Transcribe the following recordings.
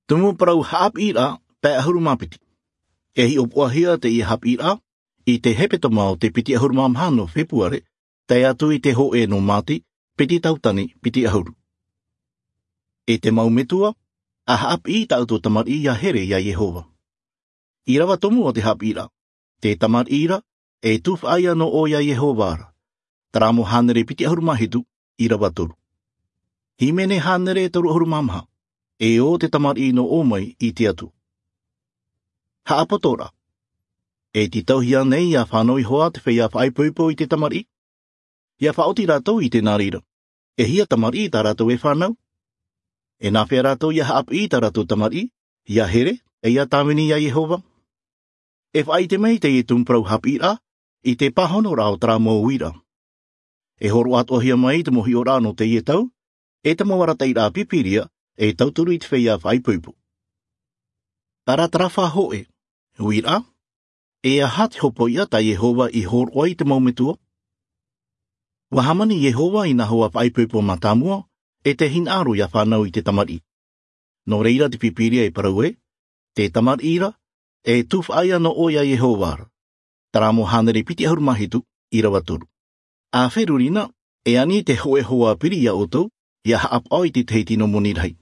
Tumu parau haap ira pe ahuru mapiti. E hi opoahia te i hap ira i te hepetoma o te piti ahuru mamhano Februare, te atu i te ho e no mati, piti tautani, piti ahuru. E te maumetua, a haap i tauto tamar i a here ia Yehova. I rawa tomu o te hap ira, te tamar ira, e tuf aia no o ia Yehova ara. Taramo hanere piti ahuru mahitu, i rawa toru. Himene hanere toru ahuru mamha, e o te tamar i no o mai i te atu. Haapotora. E ti tauhia nei a whanoi hoa te whea whaipuipu i te tamari. Ia whaoti rātou i te nārira. E hia tamari tā rātou e whanau. E nā whea rātou ia haap i tā rātou tamari, ia here, e ia tāmini ia Yehova. E whai te mei te i tumprau hap ira, i te pahono rā o tara mō uira. E horo atohia mai te mohi o rā no te ie tau, e te mawara te ira pipiria, e tauturu i te whea whaipuipu. Tara tarawha hoe, uira, e aha te hopo ia ta Yehova i horo ai te maumetua? Wahamani Yehova i naho a whaipuipu matamua, e te hinaro ia whanau i te tamari. No reira te pipiria e parau e, te tamari ira, e tuf aia no oia Yehova ara. Taramo hanere piti ahuru mahitu, i rawa toru. A wherurina, e ani te hoe hoa piri ia otou, ia haap ai te teiti no moni rei.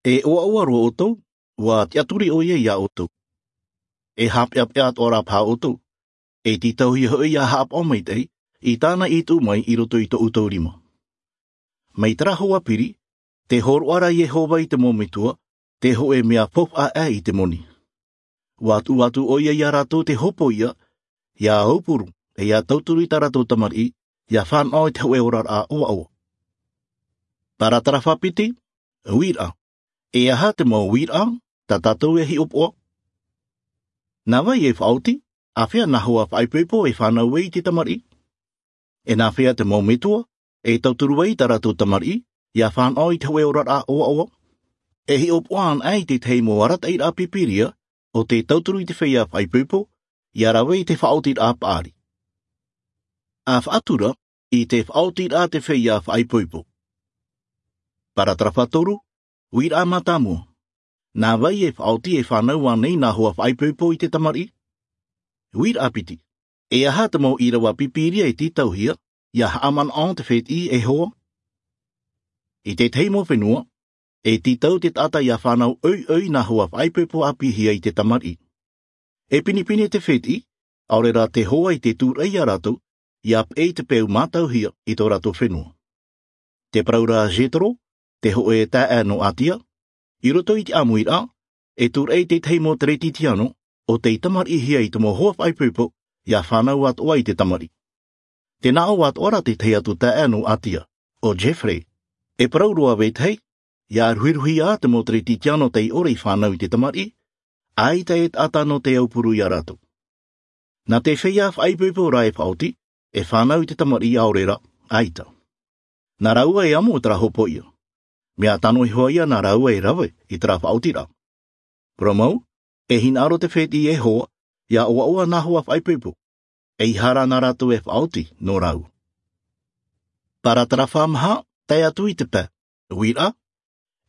E oa oa roa otou, wa te aturi o ia ia otou. E hapea pea tō rā pā otou. E ti tau hi hoi ia haap o mai tei, i tāna i tū mai i roto i tō utou rima. Mei tara hoa piri, te horo ara Yehova i te mōmetua, te ho e mea pop a e i te moni. Wa atu atu o ia ia rātou te hopo ia, ia aupuru, e ia tauturu i tā rātou tamari, ia whanau i te hoe ora a oa oa. Tara tara whapiti, uira. E aha te mau uira, tā tātou e hi opoa. Nā wai e whaoti, a whia nā hoa whaipuipo e whanau e i te tamari. E nā whia te mau metua, e tauturu ai tā rātou tamari, ia whanau i te hoe ora a oa oa. E hi opoa an ai te tei mō arata i rā pipiria, o te tauturu i te whia whaipuipo, ia rawe i te whaoti rā paari. A whaatura, i te whaoti rā te whia whaipuipo. Paratrawha toru, uira matamua. Nā wai e whaoti e whanau anei nā hoa whaipuipo i te tamari? Uira apiti. E aha te mō i rawa pipiria e titauhia, ia haaman on te wheti e hoa. I te teimo whenua, e titau te tata ia whanau oi oi nā hoa whaipuipo a pihia i te tamari. E pinipini te wheti, aore rā te hoa i te tūrei a rātou, ia e te peu mātauhia i tō rātou whenua. Te praura Jetro, te ho e tā no atia, i roto i te amuira, e tūrei te teimo te retitiano, o te tamari hia i te mō hoa whaipuipo, ia whanau atoa i te tamari. Te nao atoa te tei atu tā no atia, o Jeffrey. E parauroa wetei, ia ruiruhi a te mō te retitiano te ore i whanau i te tamari, ai te et atano te aupuru i a rātou. Nā te whia whaipuipo rā e whaoti, e whanau i te tamari aorera, aita. Nā raua e amo tara hopo ia. Mea tano i hoa ia nā raua e rawe i tara whaoti rā. Pramau, e hinaro te wheti e hoa, ia oa oa nā hoa whaipuipo. E i hara nā rātou e whaoti no rau. Para tara whamaha, te atu i te pē. Uira,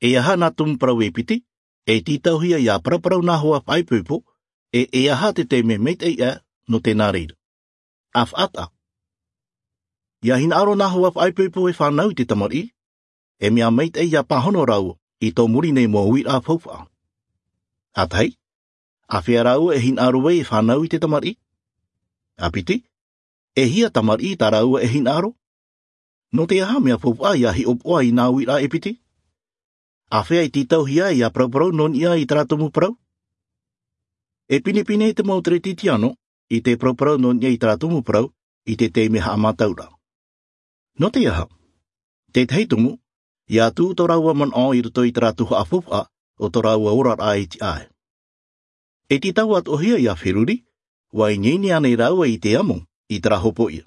e aha nā tumparau e piti, e titauhia ia paraparau nā hoa whaipuipo, e e aha te te me meit e ia no te nā reira. A whaata. Ia hinaro nā hoa whaipuipo e whanau i te tamari, e mea meit e ia pahono rau i tō muri nei mō uira whauwha. A tei, a whia rau e hinaro e whanau i te tamari? A piti, e hia tamari tā raua e hinaro? No te aha mea whauwha ia hi opoa i nā uira e piti? A whia i titauhia i a parau non ia i taratomu parau? E pinipine te mō te titiano i te parau non ia i taratomu parau i te te meha amataura. No te aha, te teitumu, ia tū tō raua man o i roto i taratuha a whauwha o tō raua ora rā i te ai. E ti tau atohia i a whiruri, wa i nini ane raua i te amo i tarahopo ia.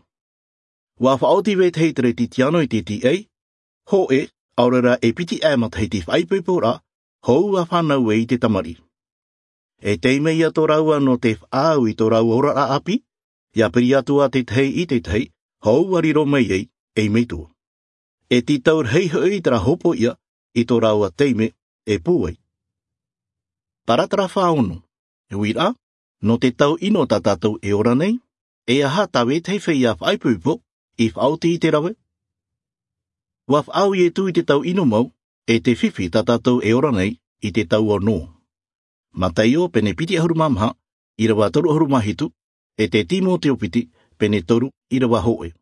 Wa whaoti we te tere titiano i te ti ei, ho e, aurera e piti e mata hei te whaipuipo rā, hou a whanau e i te tamari. E teime ia tō raua no te whaau i tō raua ora rā api, ia piri atua te tei i te tei, hou a riro mei ei, e meitua. E ti taur hei hoi tara hopo ia i tō raua teime e pūai. Paratara 46. Wira, no te tau ino tā tātou e ora nei, e aha tā wētahi whei a whaipūpo i whaoti i te rawe? Wa whaau i e tū i te tau ino mau, e te whiwhi tā tātou e ora nei i te tau o nō. Mataio pene piti ahuru mamaha, i rawa toru ahuru mahitu, e te timo te opiti, pene toru i rawa hoe.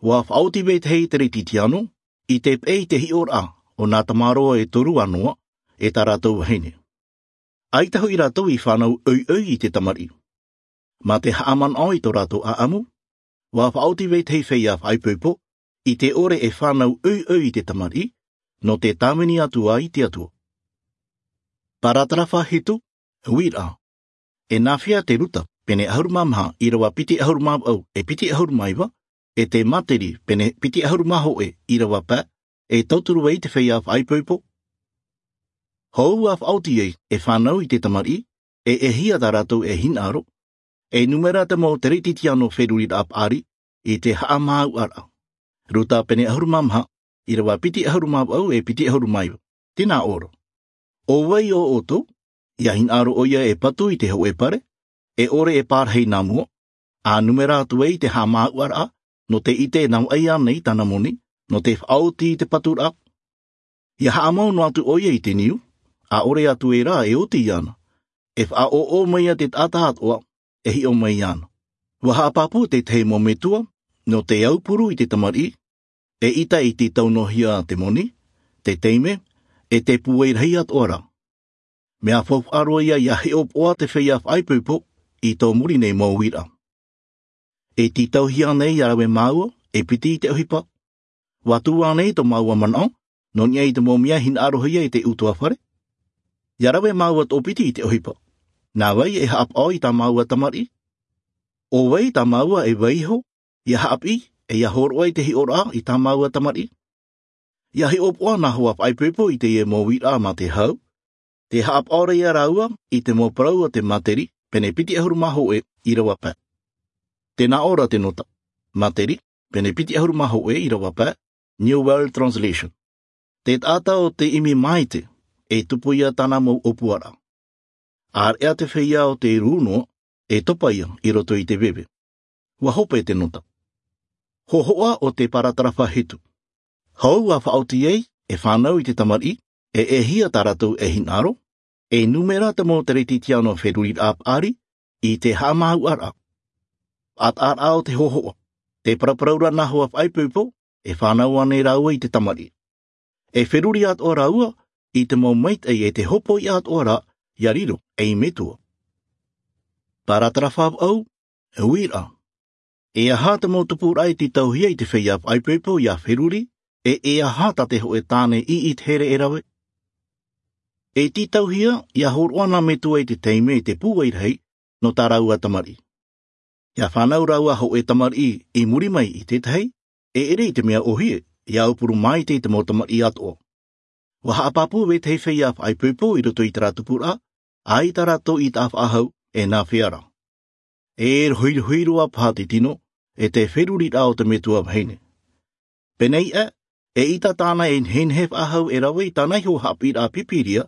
Wa whaoti wētahi te retitiano, i te pei te hi ora o nā tamaroa e toru anoa, e tā rātou wahine. Ai tahu i rātou i whānau ui ui i te tamari. Mā te haaman ai tō rātou a amu, wā whaoti wētahi whei a whaipūpo, i te ore e whānau ui ui i te tamari, no te tāmini atua i te atua. Paratara whahitu, wira. E nāwhia te ruta, pene ahuru mamaha i rawa piti ahuru au e piti ahuru maiwa, e te materi pene piti ahuru maho e i rawa pā, e tauturu ei te whei a whaipūpo. Hou a whaoti ei e whānau i te tamari, e e hia tā rātou e hinaro, e numera te mō te rititi anō wheruri ap ari, i te haamau ara. Ruta pene ahuru mamaha, i rawa piti ahuru au e piti ahuru mai. Tēnā oro. O wai o oto, ia hinaro o ia e patu i te ho e pare, e ore e pārhei nā mua, a numera atu ei te haamau ara, no te ite nau ai anei tana moni, no te whaoti i te patura. Ia haamau no atu o ia i te niu, a ore atu e rā e oti ana. E wha o o mai a te tātātoa, e hi o mai ana. Wa haapapu te te mo metua, no te aupuru i te tamari, e ita i te taunohia te moni, te teime, e te puei rei atoa Mea fau aro ia ia he opoa te whia whaipupo i tō muri nei mō wira. E titauhia nei a rawe māua, e piti i te ohipa. Wā nei tō māua manao, no nia i te mōmia hin arohia i te utua whare. Ia rawe māua tō piti i te ohipa. Nā wai e haap au i tā māua tamari. O wai tā māua e waiho, ia haapi, e ia horoa i te hi ora i tā māua tamari. Ia hi opoa nā hoa whaipupo i te ie mō wira mā te hau. Te haap ora ia raua i te mō paraua te materi, pene piti ahuru maho e i rawa pā. Tēnā ora te nota. Materi, pene piti ahuru maho e i rawa pā, New World Translation. Te tata o te imi maite, e tupu ia tana mou opuara. Ar ea te whia o te rūno, e topa ia i roto i te bebe. Wa hope te nota. Hohoa o te paratarafa hitu. Hou a whaoti ei, e whānau i te tamari, e e hia tā rātou e hinaro, e numera te mō te retitiano wheruri ap ari, i te hāmau ara. At ar ao te hohoa, te paraparaura naho a whaipupo, e whānau ane rāua i te tamari. E wheruri at o rāua, i te mō meit e e te hopo i at ora, ia riro e i metua. Paratara whāp au, e wira. E aha te mō tupu rai ti tauhia i te whia whaipupo i a wheruri, e e aha ta te ho e tāne i i te here e rawe. E ti tauhia i a horoana me tua i te teime i te pūwai rei no tā raua tamari. Ia whanau raua ho e tamari i muri mai i te tei, e ere i te mea ohie, i au puru mai te i te mō tamari atoa. Wa haapapu we te whia whaipupo i roto i te ratupura, a i tā rato i tā whahau e nā whiara. E hui huiroa pā te tino, e te wheruri rā o te metua wahine. Penei e, e ita tāna e henhef ahau e rawe i tāna iho hapira pipiria,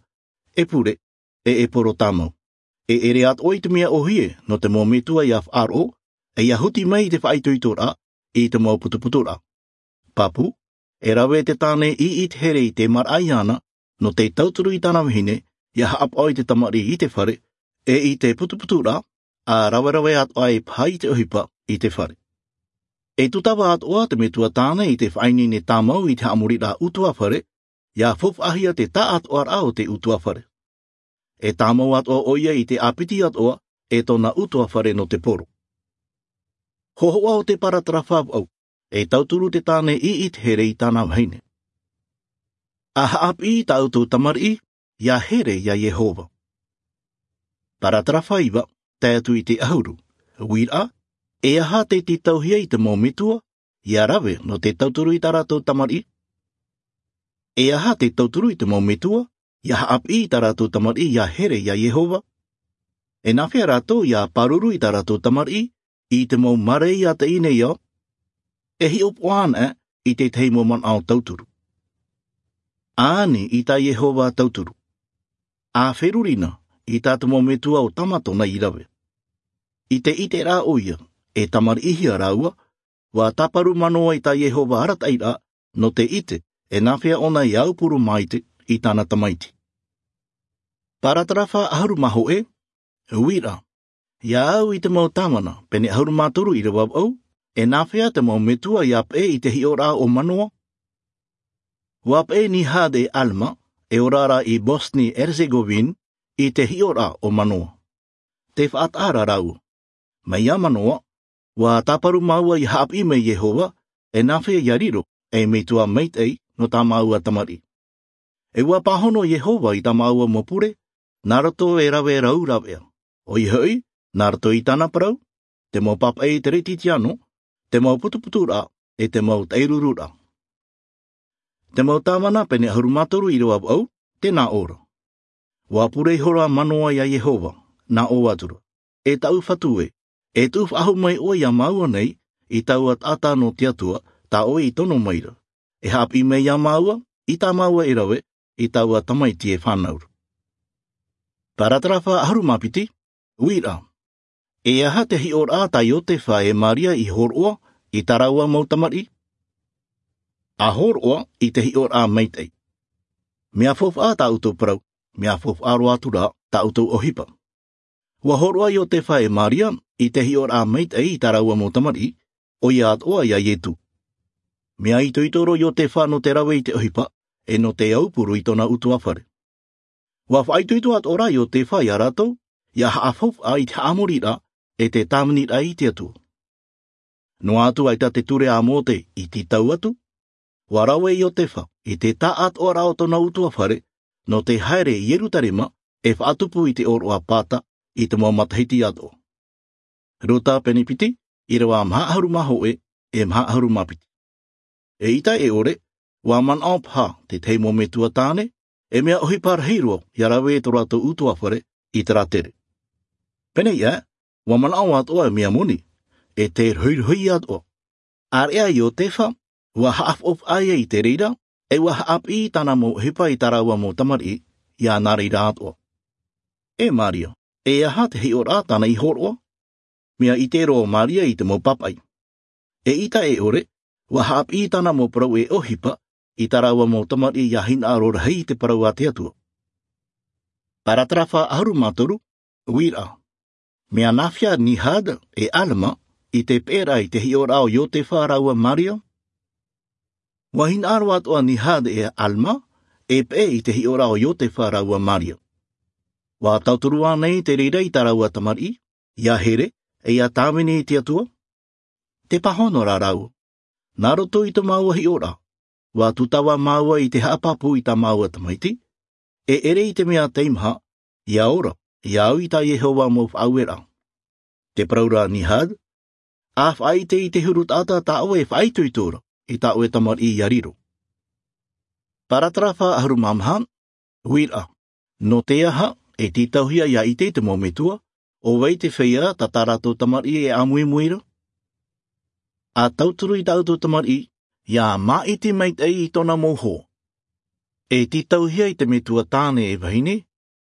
e pure, e e poro tamau. E ere at oi te mea ohie no te mō metua i a whaaro, e ia huti mai i te whaituitora, i te mō putuputura. Papu, e rawe te tāne i i te here i te mar ana, no te tauturu i tāna wahine, ia haap oi te tamari i te whare, e i te putuputura, a rawerawe at ai pai te ohipa i te whare. E tutawa at oa te metua tāne i te whainine tāmau i te amuri rā utua whare, ia fuf ahia te tā at oa rā o te utua whare. E tāmau at oa oia i te apiti at oa, e tōna utua whare no te poro. Hohoa o te paratara au, e tauturu te tāne i i te here i tāna wahine. A haapi i tā utu tamari, ia here ia Yehova. Paratara whaiwa, te atu i te ahuru. Wira, e aha te te tauhia i te mō metua, ia rawe no te tauturu i tā rātou tamari. E aha te tauturu i te mō metua, ia haapi i tā rātou tamari ia here ia Yehova. E nā whia rātou ia paruru i tā rātou tamari, i te mō mare i a te ine ia, e hi opoana i te tei mō man ao tauturu. Āni i tā Yehova tauturu. A wherurina i tā te mometua o Tamatona i rawe. I te ite rā o ia, e tamarihia rāua, wa taparu manoa i tā Iehova haratai rā, no te ite, e nawhea ona i aupuru maite i tana tamaiti. Paratarafa aharu maho e, uira. Ia au i te mau tamana, pene aharu mātoru i rewa au, e nawhea te mau metua i ap e i te hi ora o manoa. Wap e ni hade Alma, e orara i Bosni Herzegovin, i te hi ora o manoa. Te whaatara rau. Mai a manoa, wa taparu maua i haap i me Yehova, e nawhea ia riro, e me tua meitei no tā maua tamari. E ua pahono Yehova i tā maua mopure, nā roto e rawe rau rawea. O i hoi, nā roto i tana parau, te mau papa e te retitiano, te mau putuputu rā, e te mau teiruru rā. Te mau tāmana pene ahuru mātoru i roa au, tēnā ora. Wā pure hora manoa i a Yehova, nā o atura. E tau whatu e, e tūf ahu mai oe i a maua nei, i tau at ata no te atua, tā oe i tono maira. E hap i mei a maua, i tā maua e rawe, i taua tamaiti e whānaura. Paratarafa aharu mapiti, uira. E aha te hi ora tā Iotefa e Maria i horoa, i taraua mau tamari? A horoa i te hi ora meitei. Mea fof a tā utou parau, mea fof aro atu rā, tā utou ohipa. Ua horoa Iotefa e Maria i te hi ora meitei i taraua mau tamari, o ia atoa ia Ietu. Mea ito itoro Iotefa no te rawe i te ohipa, e no te aupuru i tona utu awhare. Ua whaituitu at ora i o te whai a ratou, ia haafau a i te haamori ra, e te tāmini ra i te atua. Noa atu ai ta te ture a mōte i titau atu, ua rawe i o te wha, i te tā at ora o tona utu awhare, no te haere i Yerutarema e whaatupu i te oro a pāta i te mau matahiti atoa. Rota penipiti, i rawa mahaharu mahoe, e mahaharu mapiti. E ita e ore, wā man ao pā te teimo me tua tāne, e mea ohi pārheiroa i a rawe e tō rātou utu awhare i te rātere. Pene ia, wā man ao atoa e mea moni, e te ruirui atoa. Area i o te wha, ua haaf of aia i te reira, e ua haap i tana mō hipa i taraua mō tamari, i a nā reira atoa. E Maria, e aha te hi o rā tana i horoa? Mea i te roa Maria i te mō papai. E ita e ore, ua haap i tana mō parau e ohipa, i taraua mō tamari i a hina arora hei te parau a te atua. Paratarafa aharu mātoru, uira. Mea nawhia Nihad e Alma i te pera i te hiora o Iotefa raua Maria. Wahina aro atoa Nihad e Alma e pe i te hiora o Iotefa raua Maria. Wā tautorua nei te reira i taraua tamari, i a Here, e i a Tāmini i te atua. Te pahono rā rāua. Nā roto i te māua hi ora, wā tutawa māua i te haapapu i tā māua tamaiti, e ere i te mea teimha, i a ora, i a au i tā Yehova mō whaauera. Te paraura Nihad, a whaite i te huru tata tā oe whaituitura i tā oe tamari i a riro. Paratarafa aharu mamha, uira, no te aha e tītauhia ia i te te mōmetua, o wei te wheia tā tā rātou tamari e amuimuira? A tauturu i tāutu tamari, ia mā iti mei te i tōna mōho. E tītauhia i te metua tāne e wahine,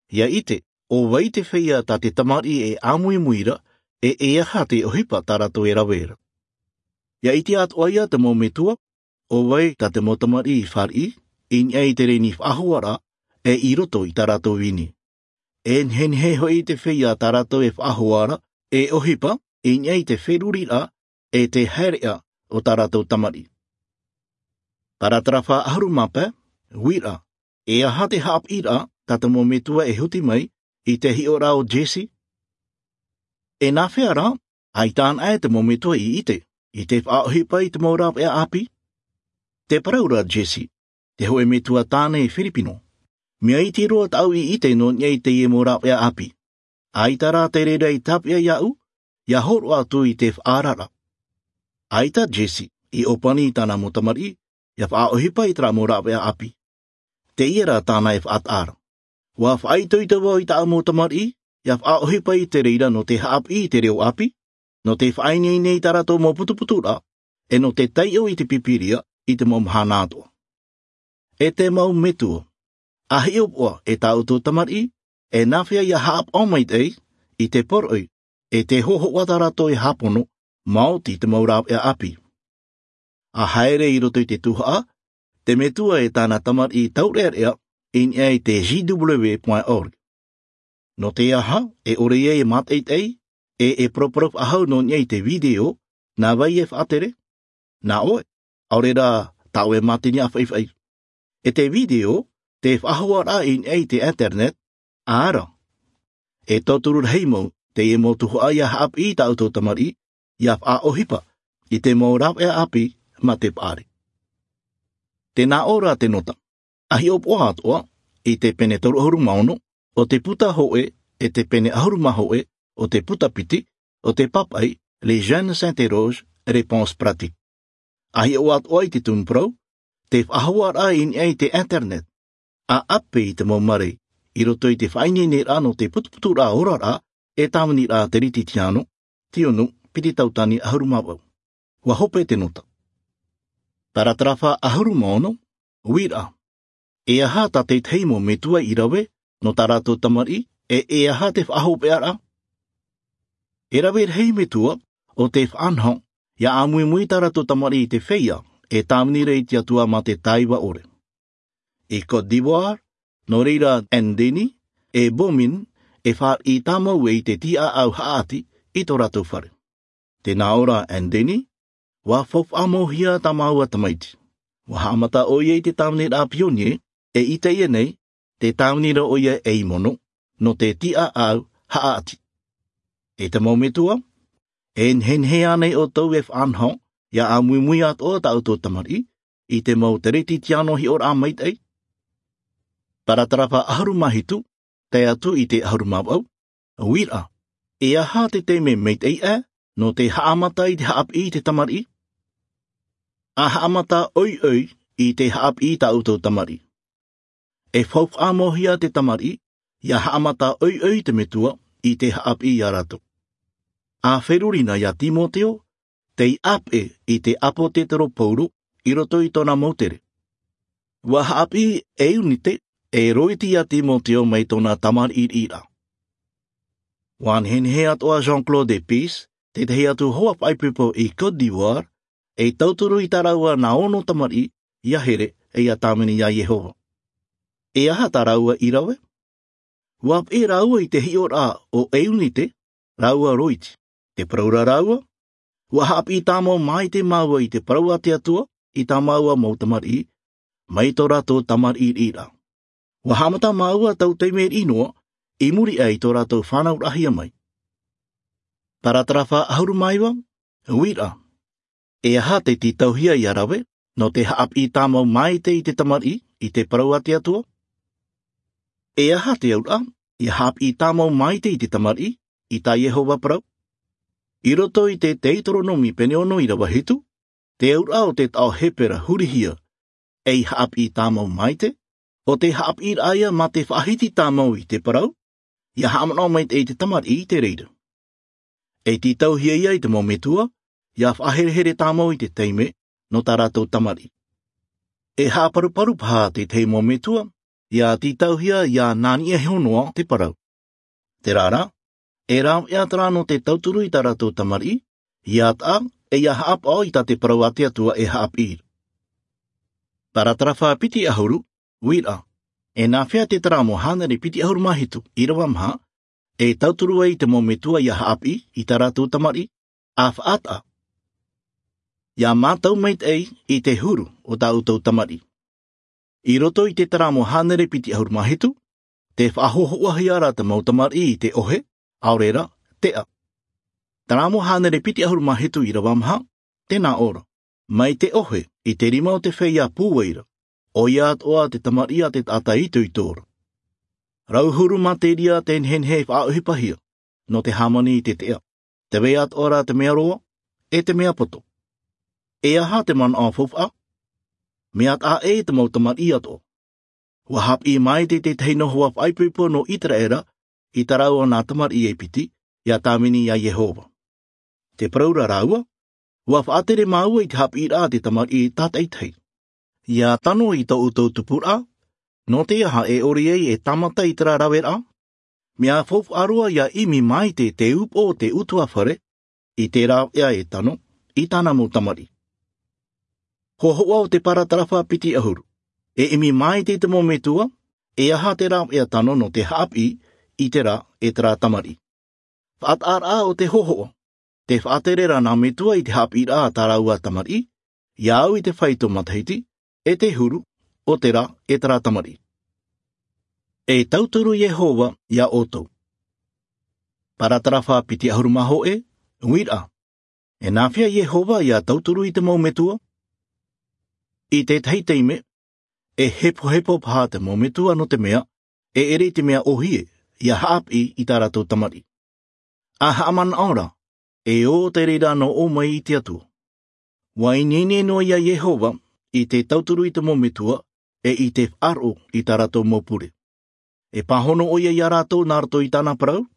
ia ite, o wei te wheia tā te tamari e amuimuira, e e aha te ohipa tā rātou e rawera. Ia iti atu aia te mōmetua, o wei tā te mō tamari i whari, i nei te reni whahuara, e i roto i tā rātou wini. E nhenhe hoi te whia tā rātou e whahoara, e ohipa, i nei te wheruri rā, e te haerea o tā rātou tamari. Paratarafa aharu mapa, wira, e aha te haap ira tā te mōmetua e huti mai i te hiora o Jesse. E nā whea rā, ai tān ai te mōmetua i ite, i te whaohipa i te mōrap e api. Te paraura Jesse, te hoe metua tāne e Filipino. Mea i te roa tau i ite no nei te ie mōrap e api. Ai tā rā te rera i tapia i au, ia horo atu i te whaarara. Ai tā Jesse, i opani i tāna mō tamari, ia whaohipa i tā mōrap e api. Te ia rā tāna e whaatara. Wā whaito i te wau i tā mō tamari, ia whaohipa i te reira no te haap i te reo api, no te whainei nei tā rato mō putuputu rā, e no te taio i te pipiria i te mō mahana atoa. E te mau metua, a hi opoa e tā utu tamari, E nawhea ia haap omait ei, i te poroi, e te hoho watarato e hapono, maoti te maurau e api. A haere i roto i te tuhaa, te metua e tāna tamar i taurearea in ei te gw.org. No te aha, e ore e mat ei, e e proprop ahau no nei te video, nā wai e whaatere? Nā oe, aore rā tāu e mātini a whaiwhai. E te video, te whahoa rā in ei te internet, āra. E tōturu heimau, te e mōtuho ai a haap i tāu tō tamari, i a ohipa, i te mō rau e api, ma te paare. Tēnā ora te nota. Ahi o poa atoa, i te pene toru ahuru maono, o te puta hoe, e te pene ahuru mahoe, o te puta piti, o te papai, les jeunes s'interrogent, réponse pratique. Ahi o atoa i te tumprau, te whahoa rā in ei te internet. A ape i te maumare, i roto i te whainene rā no te putuputu rā ora rā, e tāmani rā te riti tiano, tionu, piti tautani ahuru mawau. Wa hope te nota. Paratrawha ahuru maono, wira. E aha tā te teimo me tua i rawe, no tā rātou tamari, e e aha te whahope ara. E rawe hei me tua, o te whanho, ia amui mui tā rātou tamari i te wheia, e tāmini rei tia tua mā te taiwa ore. I Côte d'Ivoire, no reira Ndeni, e Bomin, e whaar i tāmau e i te tia au haati i tō rātou whare. Tēnā ora Ndeni, wa fof amohia tā māua tamaiti. Wa haamata o ia i te tāmini rā pionie, e i te ia nei, te tāmini rā o ia e imono, no te tia au haati. E te maumetua, e nhenhe anei o tau e whanho, ia a mui mui at o tau tō tamari, i te mau te reti tiano hi ora mait ei. Paratarafa ahuru mahitu, te atu i te ahuru mawau, wira, e aha te te me meit ei e, no te haamata i te haap i te tamari. A haamata oi oi i te haap i ta uto tamari. E whauk amohia te tamari, ia haamata oi oi te metua i te haap i a rato. A wherurina ia Timoteo, te i ape i te apo te tero pauro i roto i tōna moutere. Wa haap i e unite e roiti a Timoteo mei tōna tamar i ira. Wan hen he atoa Jean-Claude Epis, te tehi atu hoa whaipipo i Côte d'Ivoire, e tauturu i taraua nā ono tamari i a here e ia tāmini ia Yehova. E aha tā raua i rawe? Wap e raua i te hiora o Eunite, raua roiti. Te paraura raua? Ua hap i tāmau mai te maua i te paraua te atua, i tā maua mō tamari, mai tō rātou tamari i rā. Ua hamata maua tau te mea inoa, i muri ai tō rātou whānau rahia mai. Paratrawha ahuru maiwa, wira. E aha te titauhia i a rawe, no te haap i tāmau mai te i te tamari, i te paraua te atua? E aha te aura, i haap i tāmau mai te i te tamari, i tā Yehova parau? I roto i te Teitoronomi pene ono i rawa hitu, te aura o te tao hepera hurihia, e i haap i tāmau mai te, o te haap i raia mā te whahiti tāmau i te parau, ia haamanao mai te i te tamari i te reira. E titauhia ia i te mōmetua, ia whaherehere tāmau i te teime, no tā rātou tamari. E hāparuparu pā te te mōmetua, ia titauhia ia nāni e honoa te parau. Te rāra, e rā e atara no te tauturu i tā rātou tamari, ia tā e ia haapao i tā te parau a te atua e haapir. Paratrawha piti ahuru, wira. E nā whea te tara mo hānere piti ahuru mahitu, i rawa maha, e tauturu ai te mōmetua ia haapi i tā rātou tamari, a whaata. Ia mātau meit ei i te huru o tā utou tamari. I roto i te tara mo hānere piti ahuru mahitu, te whahohoa ara te mau tamari i te ohe, aorera, tea. Tara mo hānere piti ahuru mahitu i rawa maha, tēnā ora. Mai te ohe i te rima o te wheia pūweira, o ia atoa te tamari a te tata i tui tōra. Rauhuru materia te nhenhe whaauhipahia, no te hamani i te tea. Te wei atoa te mea roa, e te mea poto. E aha te mana o fof'a, mea tā e te mau tamari atoa. Ua hap i mai te te teino hoa whaipuipo no Iteraera i tarau o nā tamari e piti, ia tāmini ia Yehova. Te paraura rāua, ua whaatere māua i te hap i rā te tamari i tāteitei. Ia tano i tō utou tupura, no te aha e ori ei e tamata i tera rawe rā? Mea fofo aroa ia imi mai te te upo o te utua whare, i te rā ea e tano, i tana mō tamari. Hoa o te paratarafa piti ahuru. E imi mai te te metua, e aha te rā ea tano no te haapi i te rā e te rā tamari. Whaat o te hohoa. Te whaaterera nā metua i te haapi rā tā raua tamari, iau i te whaito matahiti, e te huru, o te rā e te rā tamari. E tauturu Yehova ia otou. Paratarafa piti ahuru maho e, wira. E nāwhia Yehova ia tauturu i te maumetua? I te teime, e hepo hepo pā te maumetua no te mea, e ere te mea ohie, ia haapi i tā rātou tamari. A haaman ora, e o te reira no o mai i te atua. Wainene no ia Yehova i te tauturu i te maumetua, e i te aro i tā rātou mōpure. E pāhono o ia i a rātou nā rato i tāna parau,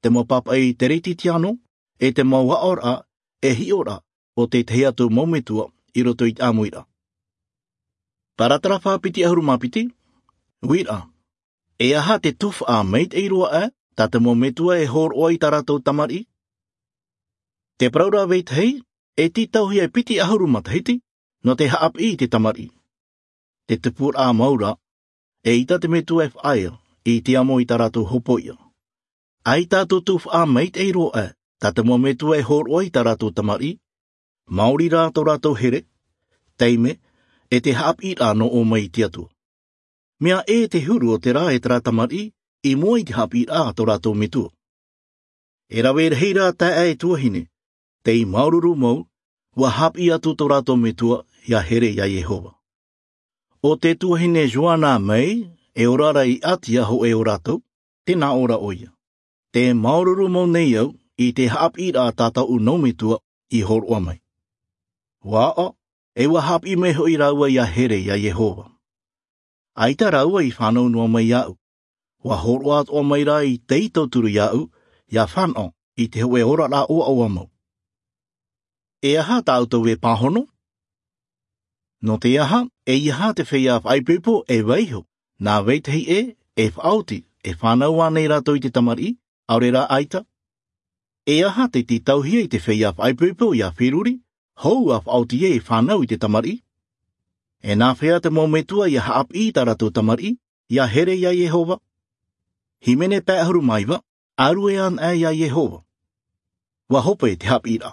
te mōpapa i te reiti tiano, e te maua ora, e hi ora, o te te atu maumetua i roto i te amuira. Paratara whāpiti ahuru māpiti, wira, e aha te tuf a meit e roa e, tā te maumetua e hor oa i tā rātou tamari? Te paraura weit hei, e titauhi e piti ahuru matahiti, no te haap i te tamari. Te tupur a maura, e ita te metua e whaia, i te amo i tā rātou hopoia. Ai tā tūtūf a meit e roa e, tā te maumetua e hor oa i tā rātou tamari, Maori rā tō rātou here, teime, e te haap i rā no o mai i te atua. Mea e te huru o te rā e te rā tamari, i mua i te haap i rā tō rātou metua. E rawe hei rā tā e tuahine, te i maururu mou, wa haap i atu tō rātou metua ia here ia Yehova. O te tuahine Joana mei, e orara i atia ho e o rātou, tēnā ora o ia. Te maururu mou nei au, i te haap i rā tātou u metua i horoa mai. Wā e ua haap i meho i raua ia here ia Yehova. Aita raua i whanau noa mai au. Wa horoa atoa mai rā i te i tauturu ia au, ia whanau i te hoe ora rā o au amau. E aha tāutou e pāhono? No te aha, e iha te whia whaipepo e weiho, nā weitehi e, e whaoti, e whanau anei rātou i te tamari, aure rā aita. E aha te titauhia i te whia whaipepo i a whiruri, hou a whaoti e whanau i te tamari. E nā whia te mōmetua i a haap i tā rātou tamari, ia here ia Yehova. Himene pēhuru maiwa, aru e an e ia Yehova. Wa hope te hap i rā.